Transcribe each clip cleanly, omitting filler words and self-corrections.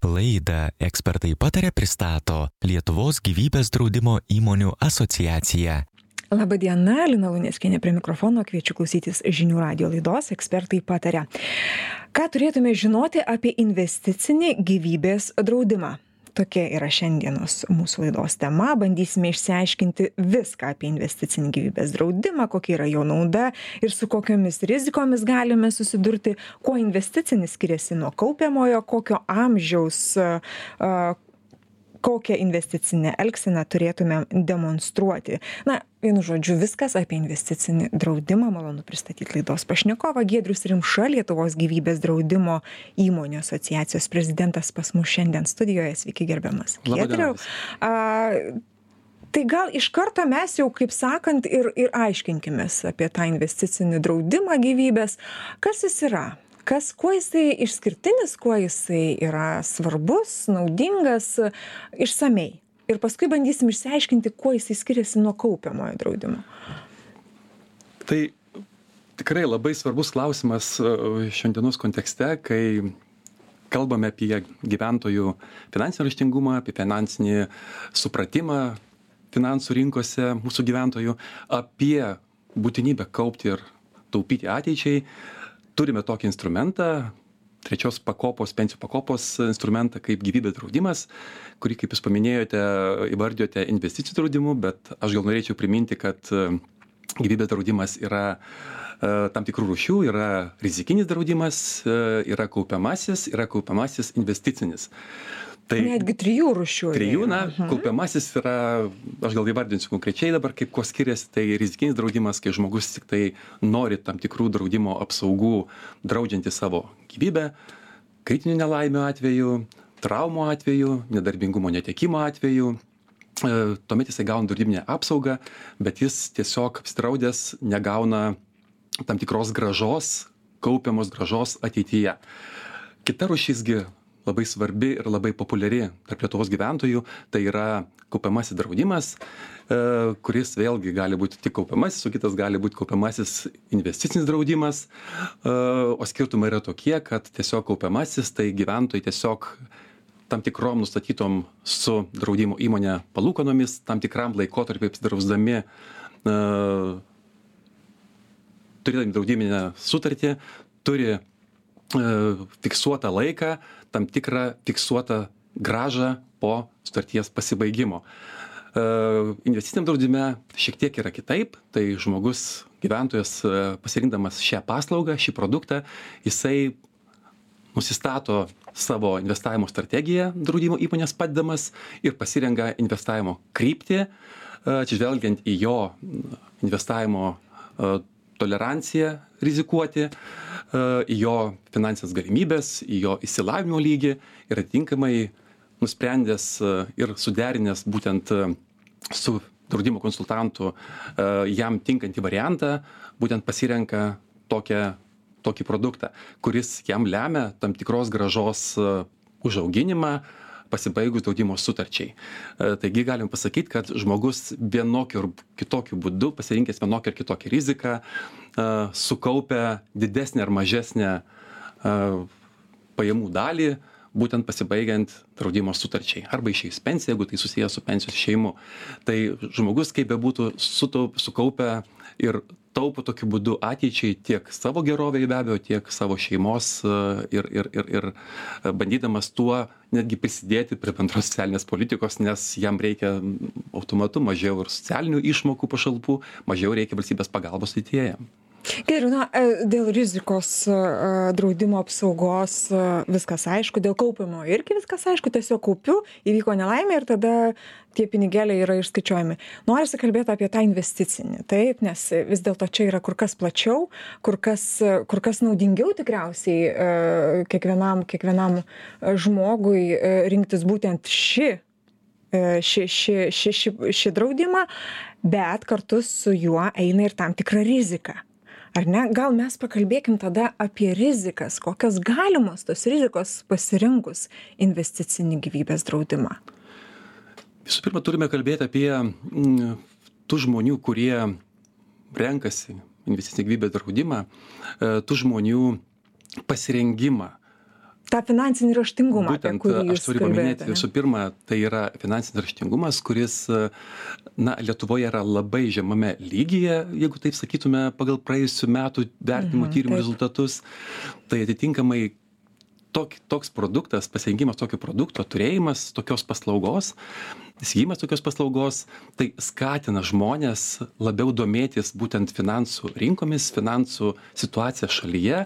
Laidą Ekspertai pataria pristato Lietuvos gyvybės draudimo įmonių asociacija. Labadiena, Lina Luneckienė prie mikrofono, kviečiu klausytis žinių radijo laidos Ekspertai pataria. Ką turėtume žinoti apie investicinį gyvybės draudimą? Tokia yra šiandienos mūsų laidos tema. Bandysime išsiaiškinti viską apie investicinį gyvybės draudimą, kokia yra jo nauda ir su kokiomis rizikomis galime susidurti, kuo investicinis skiriasi nuo kaupiamojo, kokio amžiaus, kokią investicinę elgseną turėtume demonstruoti. Vienu žodžiu, viskas apie investicinį draudimą. Malonu pristatyti laidos pašnekovą. Giedrius Rimša, Lietuvos gyvybės draudimo įmonių asociacijos prezidentas pas mus šiandien studijoje. Sveiki, gerbiamas Giedriau. Tai gal iš karto mes jau, kaip sakant, ir aiškinkimės apie tą investicinį draudimą gyvybės. Kas jis yra? Kuo jisai išskirtinis, kuo jisai yra svarbus, naudingas, išsamei. Ir paskui bandysim išsiaiškinti, kuo jisai skiriasi nuo kaupiamojo draudimo. Tai tikrai labai svarbus klausimas šiandienos kontekste, kai kalbame apie gyventojų finansinį raštingumą, apie finansinį supratimą finansų rinkose mūsų gyventojų, apie būtinybę kaupti ir taupyti ateičiai. Turime tokį instrumentą, trečios pakopos, pensijų pakopos instrumentą kaip gyvybės draudimas, kurį, kaip jūs paminėjote, įvardijote investicijų draudimu, bet aš gal norėčiau priminti, kad gyvybės draudimas yra tam tikrų rūšių, yra rizikinis draudimas, yra kaupiamasis investicinis. Tai netgi 3 rūšių. 3, kaupiamasis yra, aš gal įvardinsiu konkrečiai dabar, kaip kuo skiriasi, tai rizikinis draudimas, kai žmogus tik tai nori tam tikrų draudimo apsaugų, draudžianti savo gyvybę, kritinių nelaimių atveju, traumų atveju, nedarbingumo netekimo atveju. Tuomet jisai gauna draudiminę apsaugą, bet jis tiesiog apsidraudęs negauna tam tikros grąžos, kaupiamos grąžos ateityje. Kita rūšisgi labai svarbi ir labai populiari tarp Lietuvos gyventojų, tai yra kaupiamasis draudimas, kuris vėlgi gali būti tik kaupiamasis, o kitas gali būti kaupiamasis investicinis draudimas. O skirtumai yra tokie, kad tiesiog kaupiamasis, tai gyventojai tiesiog tam tikrom nustatytom su draudimo įmonė palūkanomis, tam tikram laikotarpiu apsidrausdami, turėdami draudiminę sutartį, turi fiksuotą laiką, tam tikrą fiksuotą grąžą po sutarties pasibaigimo. Investiciniam draudime šiek tiek yra kitaip, tai žmogus, gyventojas pasirinkdamas šią paslaugą, šį produktą, jisai nusistato savo investavimo strategiją draudimo įmonės padedamas ir pasirenka investavimo kryptį, atsižvelgiant į jo investavimo toleranciją rizikuoti, į jo finansinės galimybės, į jo išsilavinimo lygį ir atitinkamai nusprendęs ir suderinęs būtent su draudimo konsultantu jam tinkantį variantą, būtent pasirenka tokį produktą, kuris jam lemia tam tikros grąžos užauginimą pasibaigus draudimo sutarčiai. Taigi galim pasakyti, kad žmogus vienokiu ir kitokiu būdu, pasirinkęs vienokią ir kitokią riziką, sukaupia didesnę ar mažesnę pajamų dalį, būtent pasibaigiant draudimo sutarčiai. Arba išeis pensiją, jeigu tai susijęs su pensijos išėjimu. Tai žmogus, kaip bebūtų, sukaupia ir taupo tokiu būdu ateičiai tiek savo gerovei be abejo, tiek savo šeimos ir bandydamas tuo netgi prisidėti prie bendros socialinės politikos, nes jam reikia automatu mažiau ir socialinių išmokų pašalpų, mažiau reikia valstybės pagalbos ateityje. Gerai, dėl rizikos draudimo apsaugos viskas aišku, dėl kaupimo irgi viskas aišku, tiesiog kaupiu, įvyko nelaimė ir tada tie pinigėliai yra išskaičiuojami. Norisi kalbėti apie tą investicinį, taip, nes vis dėlto čia yra kur kas plačiau, kur kas naudingiau tikriausiai kiekvienam žmogui rinktis būtent šį draudimą, bet kartu su juo eina ir tam tikra rizika. Ar ne? Gal mes pakalbėkim tada apie rizikas, kokios galimos tos rizikos pasirinkus investicinį gyvybės draudimą? Visų pirma, turime kalbėti apie tų žmonių, kurie renkasi investicinį gyvybės draudimą, tų žmonių pasirengimą tą finansinį raštingumą, apie Būtent kurį aš jūs turiu paminėti kalbėjote. visų pirma, tai yra finansinis raštingumas, kuris Lietuvoje yra labai žemame lygyje, jeigu taip sakytume, pagal praėjusių metų vertinimo tyrimų rezultatus. Tai atitinkamai toks produktas, pasirinkimas tokio produkto, turėjimas tokios paslaugos, įsigijimas tokios paslaugos, tai skatina žmonės labiau domėtis būtent finansų rinkomis, finansų situacija šalyje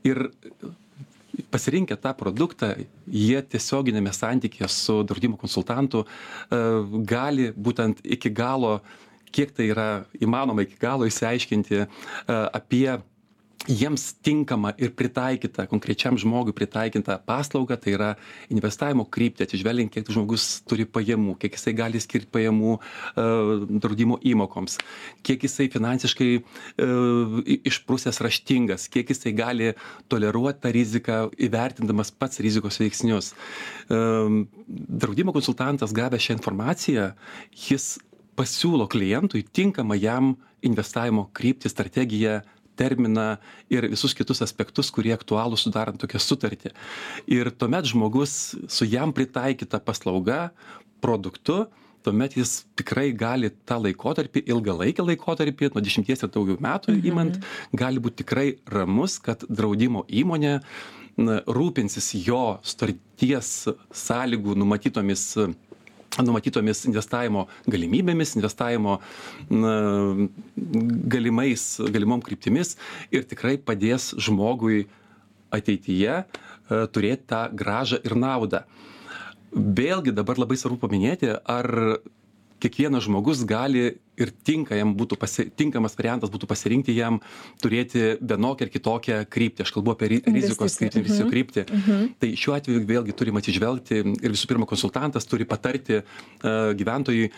ir pasirinkę tą produktą, jie tiesioginėme santykėje su draudimo konsultantu gali būtent iki galo, kiek tai yra įmanoma iki galo išsiaiškinti apie jiems tinkamą ir pritaikytą, konkrečiam žmogui pritaikytą paslaugą, tai yra investavimo kryptį, atsižvelgiant, kiek žmogus turi pajamų, kiek jisai gali skirti pajamų draudimo įmokoms, kiek jisai finansiškai išprusęs raštingas, kiek jisai gali toleruoti tą riziką, įvertindamas pats rizikos veiksnius. Draudimo konsultantas gavęs šią informaciją, jis pasiūlo klientui tinkamą jam investavimo kryptį, strategiją, terminą ir visus kitus aspektus, kurie aktualūs sudarant tokią sutartį. Ir tuomet žmogus su jam pritaikyta paslauga, produktu, tuomet jis tikrai gali tą laikotarpį, ilgalaikį laikotarpį, nuo 10 ir daugiau metų imant, gali būti tikrai ramus, kad draudimo įmonė rūpinsis jo sutarties sąlygų numatytomis investavimo galimybėmis, investavimo galimom kryptimis ir tikrai padės žmogui ateityje turėti tą grąžą ir naudą. Vėlgi dabar labai svarbu paminėti, ar kiekvienas žmogus gali ir tinkamas variantas būtų pasirinkti jam turėti vienokią ar kitokią kryptį. Aš kalbu apie rizikos kryptį. Tai šiuo atveju vėlgi turim atsižvelgti ir visų pirma konsultantas turi patarti gyventojui,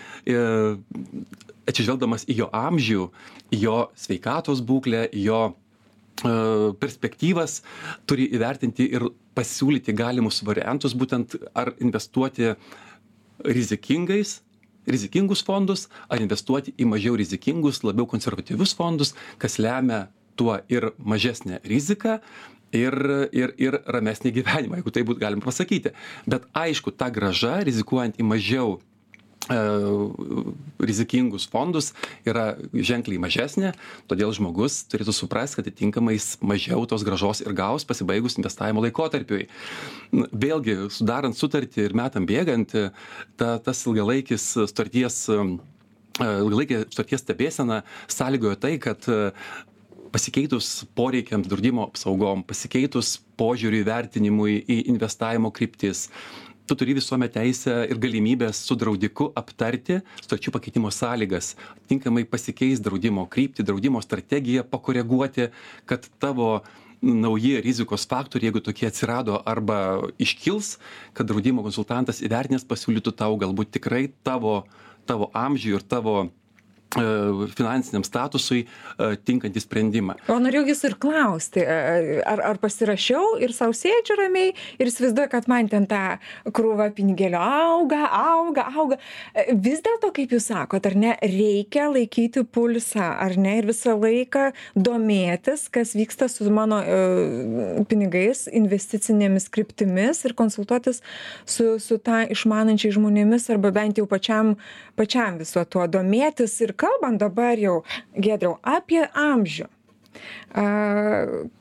atsižvelgdamas į jo amžių, į jo sveikatos būklę, į jo perspektyvas, turi įvertinti ir pasiūlyti galimus variantus, būtent ar investuoti rizikingus fondus, ar investuoti į mažiau rizikingus, labiau konservatyvius fondus, kas lemia tuo ir mažesnę riziką ir ramesnį gyvenimą, jeigu tai būtų galima pasakyti. Bet aišku, ta grąža, rizikuojant į mažiau rizikingus fondus, yra ženkliai mažesnė, todėl žmogus turėtų suprasti, kad atitinkamai mažiau tos grąžos ir gaus pasibaigus investavimo laikotarpiui. Vėlgi, sudarant sutartį ir metam bėgant, tas ilgalaikė sutarties stebėsena sąlygojo tai, kad pasikeitus poreikiams draudimo apsaugom, pasikeitus požiūriui vertinimui į investavimo kryptis, tu turi visuomet teisę ir galimybės su draudiku aptarti sutarčių pakeitimo sąlygas, tinkamai pasikeis draudimo kryptį, draudimo strategiją, pakoreguoti, kad tavo nauji rizikos faktoriai, jeigu tokie atsirado arba iškils, kad draudimo konsultantas įvertinęs pasiūlytų tau galbūt tikrai tavo amžiui ir tavo finansiniam statusui tinkantį sprendimą. O norėjau jūsų ir klausti, ar pasirašiau ir sau sėdžiu ramiai ir įsivaizduoju, kad man ten tą krūvą pinigėlio auga. Vis dėlto, kaip jūs sakot, ar ne, reikia laikyti pulsą, ar ne, ir visą laiką domėtis, kas vyksta su mano pinigais, investicinėmis kryptimis ir konsultuotis su tą išmanančiai žmonėmis arba bent jau pačiam viso tuo domėtis. Ir kalbant dabar jau, Giedriau, apie amžių.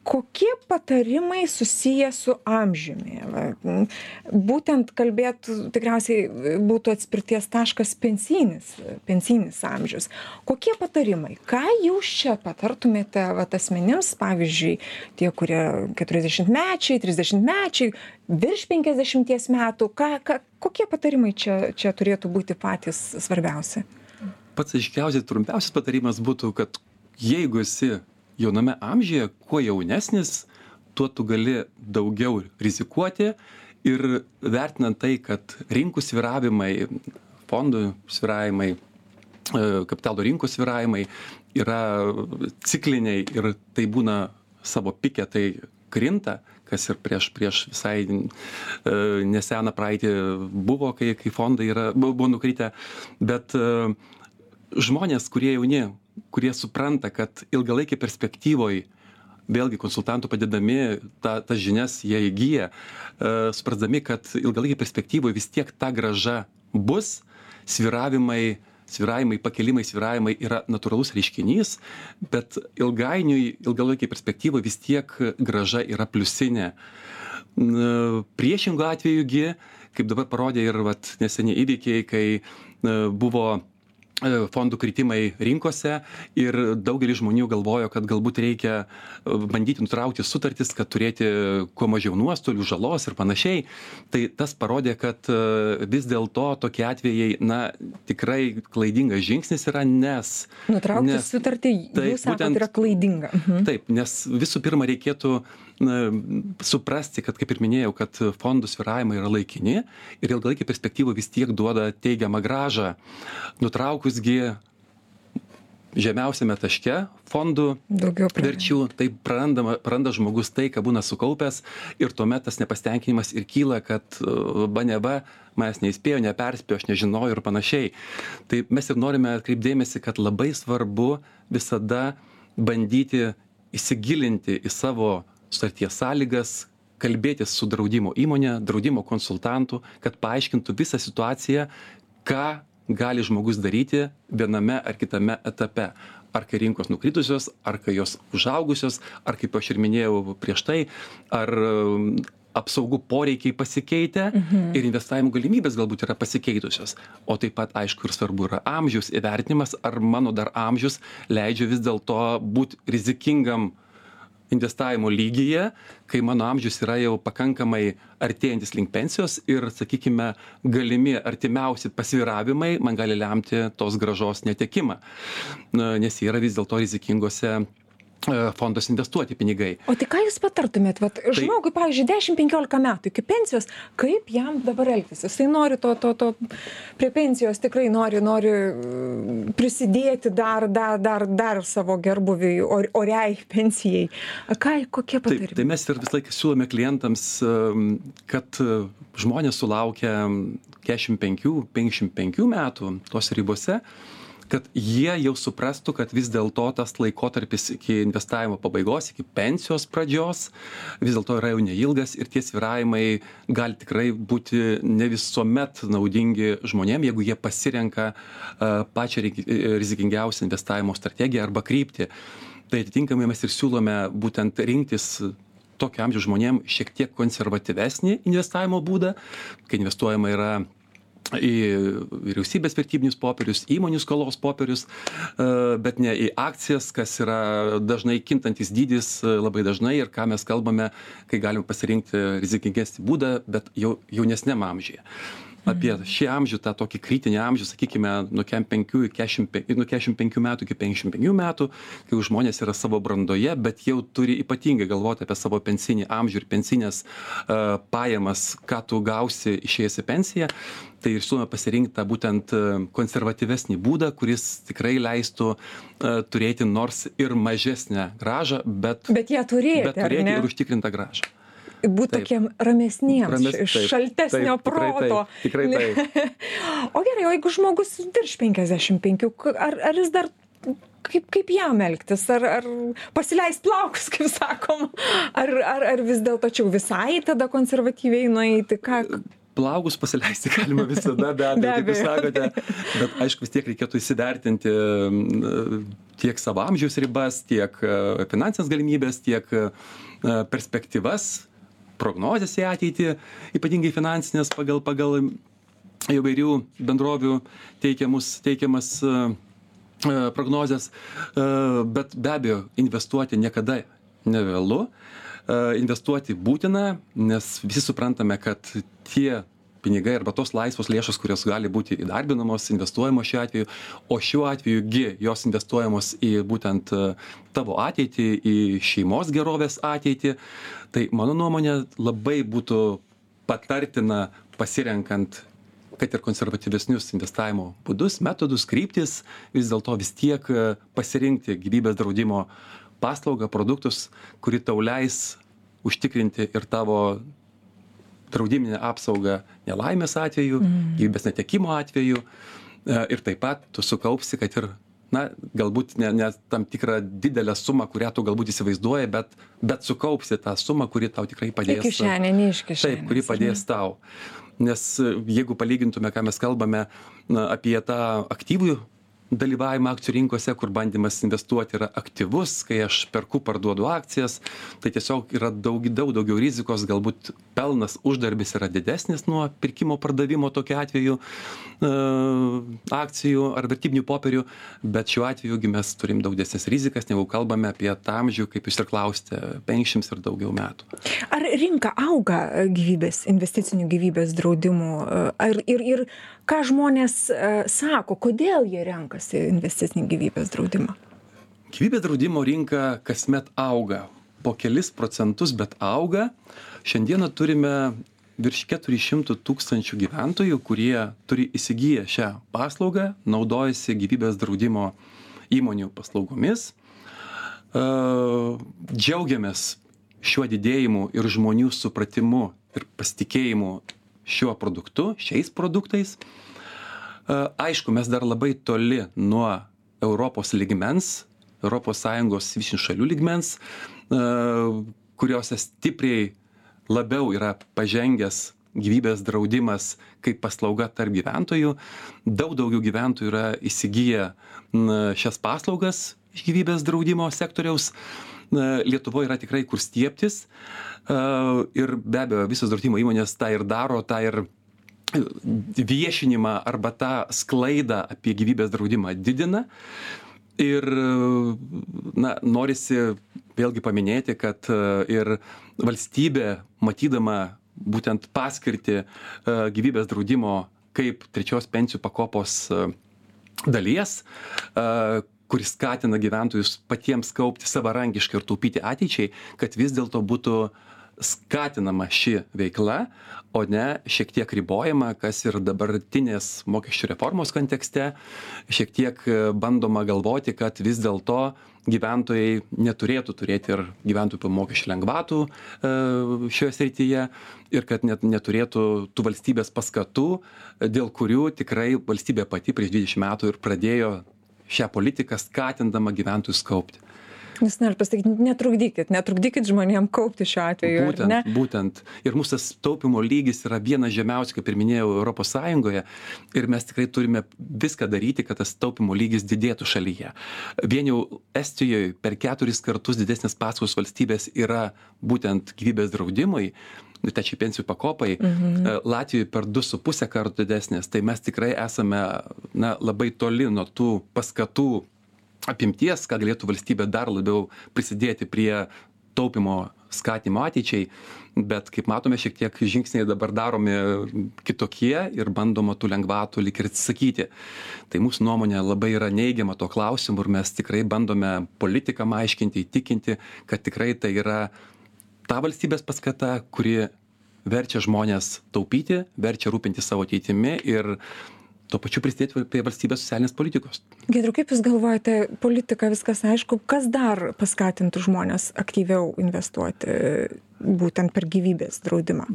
Kokie patarimai susiję su amžiumi? Būtent tikriausiai būtų atspirties taškas pensinis amžius. Kokie patarimai? Ką jūs čia patartumėte asmenims, pavyzdžiui, tie, kurie 40-mečiai, 30-mečiai, virš 50 metų, kokie patarimai čia turėtų būti patys svarbiausi? Pats aiškiausiai, trumpiausias patarimas būtų, kad jeigu esi jauname amžiuje, kuo jaunesnis, tuo tu gali daugiau rizikuoti ir vertinant tai, kad rinkų svyravimai, fondų svyravimai, kapitalo rinkų svyravimai yra cikliniai ir tai būna savo pike, tai krinta, kas ir prieš visai neseną praeitį buvo, kai fondai buvo nukritę, bet žmonės, kurie jauni, kurie supranta, kad ilgalaikį perspektyvoj vėlgi konsultantų padedami, tas žinias jie įgyja, suprasdami, kad ilgalaikį perspektyvoje vis tiek ta grąža bus, svyravimai, pakelimai, svyravimai yra natūralus reiškinys, bet ilgalaikiai perspektyvoje vis tiek grąža yra pliusinė. Priešingų atvejugi, kaip dabar parodė ir neseniai įvykiai, kai buvo fondų kritimai rinkose ir daugelis žmonių galvojo, kad galbūt reikia bandyti nutraukti sutartis, kad turėti kuo mažiau nuostolių, žalos ir panašiai. Tai tas parodė, kad vis dėlto tokie atvejai, tikrai klaidingas žingsnis yra, nes... Nutraukti sutartį, jūs sakot, yra klaidinga. Taip, nes visų pirma reikėtų suprasti, kad, kaip ir minėjau, kad fondų svyravimai yra laikini ir ilgalaikį perspektyvą vis tiek duoda teigiamą grąžą. Nutraukusgi žemiausiame taške fondų verčių, tai praranda žmogus tai, ką būna sukaupęs ir tuomet tas nepasitenkinimas ir kyla, kad neva manęs neįspėjo, neperspėjo, aš nežinojau ir panašiai. Tai mes ir norime atkreipdėmėsi, kad labai svarbu visada bandyti įsigilinti į savo sutarties sąlygas, kalbėtis su draudimo įmonė, draudimo konsultantu, kad paaiškintų visą situaciją, ką gali žmogus daryti viename ar kitame etape. Ar kai rinkos nukritusios, ar kai jos užaugusios, ar kaip aš ir minėjau prieš tai, ar apsaugų poreikiai pasikeitę ir investavimo galimybės galbūt yra pasikeitusios. O taip pat, aišku, ir svarbu yra amžiaus įvertinimas, ar mano dar amžius leidžia vis dėlto būti rizikingam investavimo lygyje, kai mano amžius yra jau pakankamai artėjantis link pensijos ir, sakykime, galimi artimiausi pasvyravimai man gali lemti tos grąžos netekimą, nes jie yra vis dėlto rizikingose fondos investuoti pinigai. O tai ką jūs patartumėt? Žmogui, pavyzdžiui, 10-15 metų iki pensijos, kaip jam dabar elgtis? Jisai nori prie pensijos, tikrai nori prisidėti dar savo gerbuviui, oriai pensijai. Kokie patarimai? Tai mes ir vis laiką siūlome klientams, kad žmonės sulaukia 45-55 metų tos ribose, kad jie jau suprastų, kad vis dėlto tas laikotarpis iki investavimo pabaigos, iki pensijos pradžios, vis dėlto yra jau neilgas ir tie svyravimai gali tikrai būti ne visuomet naudingi žmonėm, jeigu jie pasirenka pačią rizikingiausią investavimo strategiją arba kryptį. Tai atitinkamai mes ir siūlome būtent rinktis tokio amžiaus žmonėm šiek tiek konservatyvesnį investavimo būdą, kai investuojama yra į vyriausybės vertybinius popierius, įmonių skolos popierius, bet ne į akcijas, kas yra dažnai kintantis dydis labai dažnai ir ką mes kalbame, kai galim pasirinkti rizikingesnį būdą, bet jau jaunesniam amžiuje. Apie šį amžių, tą tokį kritinį amžių, sakykime, nuo 45 metų iki 55 metų, kai žmonės yra savo brandoje, bet jau turi ypatingai galvoti apie savo pensinį amžių ir pensinės pajamas, ką tu gausi išėjęs į pensiją. Tai ir siūlome pasirinkti tą būtent konservatyvesnį būdą, kuris tikrai leistų turėti nors ir mažesnę grąžą, bet ją turėti ir užtikrintą grąžą. Būti tokiem ramesniems, šaltesnio proto. Tikrai taip. O gerai, o jeigu žmogus virš 55, ar jis dar, kaip jam elgtis? Ar pasileist plaukus, kaip sakom? Ar vis dėlto čia visai tada konservatyviai nueiti? Plaukus pasileisti galima visada, be abejo, kaip jūs sakote, bet aišku, vis tiek reikėtų įsivertinti tiek savo amžiaus ribas, tiek finansinės galimybės, tiek perspektyvas, prognozės į ateitį, ypatingai finansinės pagal įvairių bendrovių teikiamas prognozės, bet be abejo investuoti niekada nevėlu, investuoti būtina, nes visi suprantame, kad tie pinigai arba tos laisvos lėšos, kurios gali būti įdarbinamos, investuojamos šiuo atveju, o šiuo atveju jos investuojamos į būtent tavo ateitį, į šeimos gerovės ateitį. Tai mano nuomonė labai būtų patartina pasirenkant, kad ir konservatyvesnius investavimo būdus, metodus, kryptis, vis dėlto vis tiek pasirinkti gyvybės draudimo paslaugą, produktus, kuri tau leis užtikrinti ir tavo draudiminę apsaugą nelaimės atveju, gyvybės netekimo atveju ir taip pat tu sukaupsi, kad ir galbūt ne tam tikrą didelę sumą, kurią tu galbūt įsivaizduoji, bet sukaupsi tą sumą, kuri tau tikrai padės. Į kišenę, ne iš kišenės. Taip, kuri padės tau. Nes jeigu palygintume, ką mes kalbame apie tą aktyvų dalyvavimą akcijų rinkose, kur bandymas investuoti yra aktyvus, kai aš perku, parduodu akcijas, tai tiesiog yra daug daugiau rizikos, galbūt pelnas, uždarbis yra didesnis nuo pirkimo pardavimo tokiu atveju akcijų ar vertybinių popierių, bet šiuo atveju mes turim daug didesnes rizikas, negu kalbame apie tą amžių, kaip jūs ir klausite, 50 ir daugiau metų. Ar rinka auga investicinių gyvybės draudimų? Ir ką žmonės sako, kodėl jie renkasi investicinį gyvybės draudimą? Gyvybės draudimo rinka kasmet auga. Po kelis procentus, bet auga. Šiandieną turime virš 400 000 gyventojų, kurie turi įsigiję šią paslaugą, naudojasi gyvybės draudimo įmonių paslaugomis. Džiaugiamės šiuo didėjimu ir žmonių supratimu ir pasitikėjimu šiuo produktu, šiais produktais. Aišku, mes dar labai toli nuo Europos lygmens, ES visų šalių lygmens, kuriuose stipriai labiau yra pažengęs gyvybės draudimas kaip paslauga tarp gyventojų. Daug daugiau gyventojų yra įsigiję šias paslaugas iš gyvybės draudimo sektoriaus. Lietuvoje yra tikrai kur stiebtis ir be abejo visos draudimo įmonės tą ir daro, tą ir viešinimą arba tą sklaidą apie gyvybės draudimą didina. Ir norisi vėlgi paminėti, kad ir valstybė, matydama būtent paskirtį gyvybės draudimo kaip trečios pensijų pakopos dalies, kuris skatina gyventojus patiems kaupti savarankiškai ir taupyti ateičiai, kad vis dėlto būtų skatinama ši veikla, o ne šiek tiek ribojama, kas ir dabartinės mokesčių reformos kontekste, šiek tiek bandoma galvoti, kad vis dėlto gyventojai neturėtų turėti ir gyventojų mokesčių lengvatų šioje srityje ir kad net neturėtų tų valstybės paskatų, dėl kurių tikrai valstybė pati prieš 20 metų ir pradėjo šią politiką skatindama gyventojus kaupti. Jūs noriu pasakyti, netrukdykit žmonėm kaupti šiuo atveju. Būtent. Ir mūsų tas taupimo lygis yra vienas žemiausių, kaip ir minėjau, Europos Sąjungoje. Ir mes tikrai turime viską daryti, kad tas taupimo lygis didėtų šalyje. Vien jau Estijoje per 4 kartus didesnės paskolos valstybės yra būtent gyvybės draudimui, trečiai pensijų pakopai, Latvijoje per 2,5 kartų didesnės. Tai mes tikrai esame labai toli nuo tų paskatų apimties, ką galėtų valstybė dar labiau prisidėti prie taupimo skatimo ateičiai, bet kaip matome, šiek tiek žingsniai dabar daromi kitokie ir bandoma tų lengvatų lyg ir atsisakyti. Tai mūsų nuomonė labai yra neigiama to klausimu ir mes tikrai bandome politikam aiškinti, įtikinti, kad tikrai tai yra ta valstybės paskata, kuri verčia žmonės taupyti, verčia rūpinti savo ateitimi ir tuo pačiu prisidėti prie valstybės socialinės politikos. Giedriau, kaip Jūs galvojate, politika viskas aišku, kas dar paskatintų žmonės aktyviau investuoti būtent per gyvybės draudimą?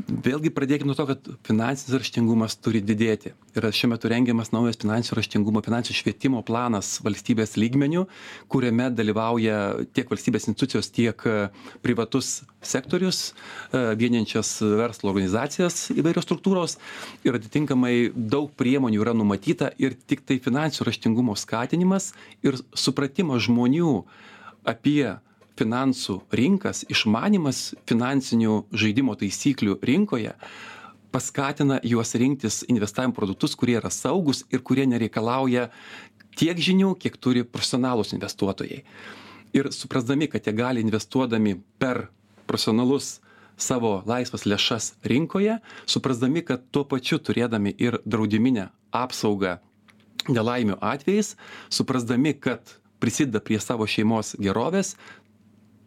Vėlgi pradėkime nuo to, kad finansinis raštingumas turi didėti. Yra šiuo metu rengiamas naujas finansinio raštingumo, finansinio švietimo planas valstybės lygmenių, kuriame dalyvauja tiek valstybės institucijos, tiek privatus sektorius, vieniančias verslo organizacijas įvairios struktūros ir atitinkamai daug priemonių yra numatyta ir tik tai finansinio raštingumo skatinimas ir supratimas žmonių apie finansų rinkas, išmanimas finansinių žaidimo taisyklių rinkoje paskatina juos rinktis investavimo produktus, kurie yra saugus ir kurie nereikalauja tiek žinių, kiek turi profesionalūs investuotojai. Ir suprasdami, kad jie gali investuodami per profesionalus savo laisvas lėšas rinkoje, suprasdami, kad tuo pačiu turėdami ir draudiminę apsaugą nelaimių atvejais, suprasdami, kad prisideda prie savo šeimos gerovės,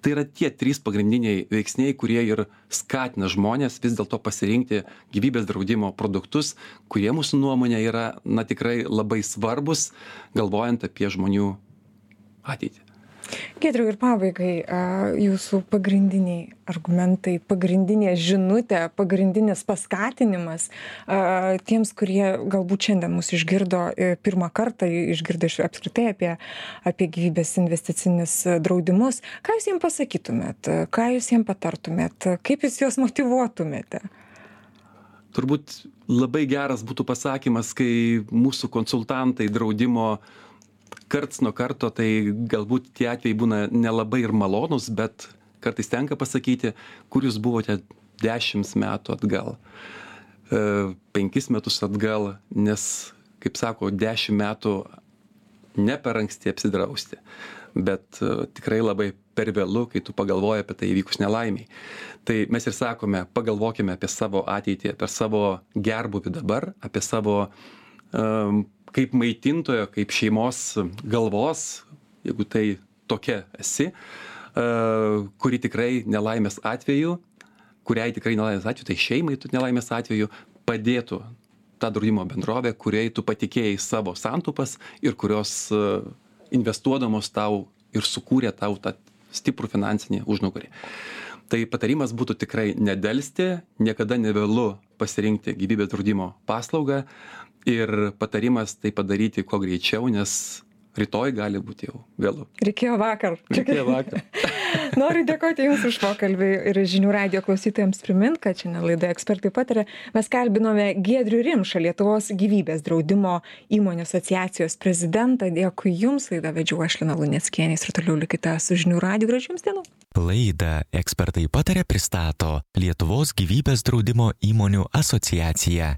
tai yra tie 3 pagrindiniai veiksniai, kurie ir skatina žmonės vis dėlto pasirinkti gyvybės draudimo produktus, kurie mūsų nuomonė yra tikrai labai svarbus, galvojant apie žmonių ateitį. Giedriau, ir pabaigai, jūsų pagrindiniai argumentai, pagrindinė žinutė, pagrindinis paskatinimas tiems, kurie galbūt šiandien mus išgirdo pirmą kartą, išgirdo apskritai apie gyvybės investicinius draudimus. Ką jūs jiems pasakytumėt, ką jūs jiems patartumėt, kaip jūs juos motyvuotumėte? Turbūt labai geras būtų pasakymas, kai mūsų konsultantai draudimo karts nuo karto, tai galbūt tie atvejai būna nelabai ir malonus, bet kartais tenka pasakyti, kur jūs buvote 10 metų atgal, 5 metus atgal, nes, kaip sako, 10 metų ne per anksti apsidrausti, bet tikrai labai per vėlu, kai tu pagalvoji apie tai įvykus nelaimiai. Tai mes ir sakome, pagalvokime apie savo ateitį, apie savo gerbūvį dabar, apie savo kaip maitintojo, kaip šeimos galvos, jeigu tai tokia esi, kuri tikrai nelaimės atveju, kuriai tikrai nelaimės atveju, tai šeimai nelaimės atveju padėtų tą draudimo bendrovę, kuriai tu patikėjai savo santaupas ir kurios investuodamos tau ir sukūrė tau tą stiprų finansinį užnugarį. Tai patarimas būtų tikrai nedelsti, niekada nevėlu pasirinkti gyvybės draudimo paslaugą ir patarimas tai padaryti kuo greičiau, nes rytoj gali būti jau vėlu. Reikėjo vakar. Noriu dėkoti Jums už pokalbį ir žinių radijo klausytojams primint, kad šiandien laidoje Ekspertai pataria mes kalbinome Giedrių Rimšą, Lietuvos gyvybės draudimo įmonių asociacijos prezidentą. Dėkui Jums, laidą vedžiau aš Lina Luneckienė ir toliau likite su žinių radiju. Gražių Jums dienų. Laidą Ekspertai pataria pristato Lietuvos gyvybės draudimo įmonių asociacija.